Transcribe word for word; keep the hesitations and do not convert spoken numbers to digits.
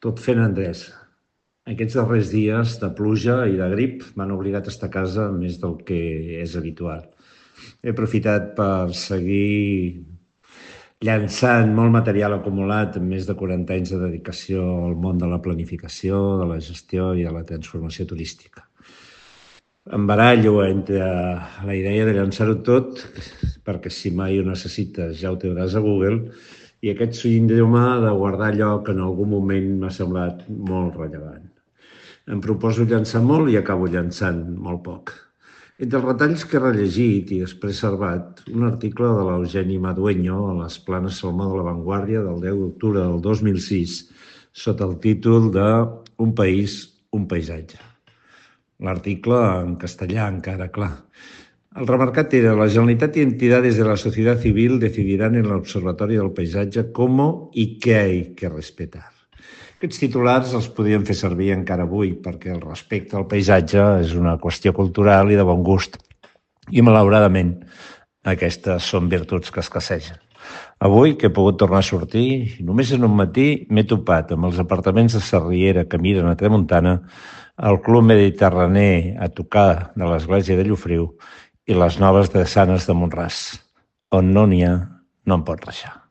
tot fent endreça. Aquests darrers dies de pluja i de grip m'han obligat a estar a casa més del que és habitual. He aprofitat per seguir llançant molt material acumulat amb més de quaranta anys de dedicació al món de la planificació, de la gestió i de la transformació turística. Em barallo entre la idea de llançar-ho tot, perquè si mai ho necessites ja ho tindràs a Google, i aquest síndrome de guardar allò que en algun moment m'ha semblat molt rellevant. Em proposo llançar molt i acabo llançant molt poc. Entre els retalls que he rellegit i després servat, un article de l'Eugeni Madueño a les Planes Salmó de la Vanguardia del deu d'octubre del dos mil sis sota el títol de Un país, un paisatge. L'article en castellà encara, clar. El remarcat era: la Generalitat y entidades de la sociedad civil decidirán en el Observatorio del Paisatge cómo y qué hay que respetar. Aquests titulars els podríem fer servir encara avui, perquè el respecte al paisatge és una qüestió cultural i de bon gust. I, malauradament, aquestes són virtuts que escassegen. Avui, que he pogut tornar a sortir, només en un matí m'he topat amb els apartaments de Sarriera que miren a Tramuntana, el Club Mediterrani a tocar de l'església de Llofriu i les noves drassanes de Mont-ras. On no n'hi ha, no en pot reixar.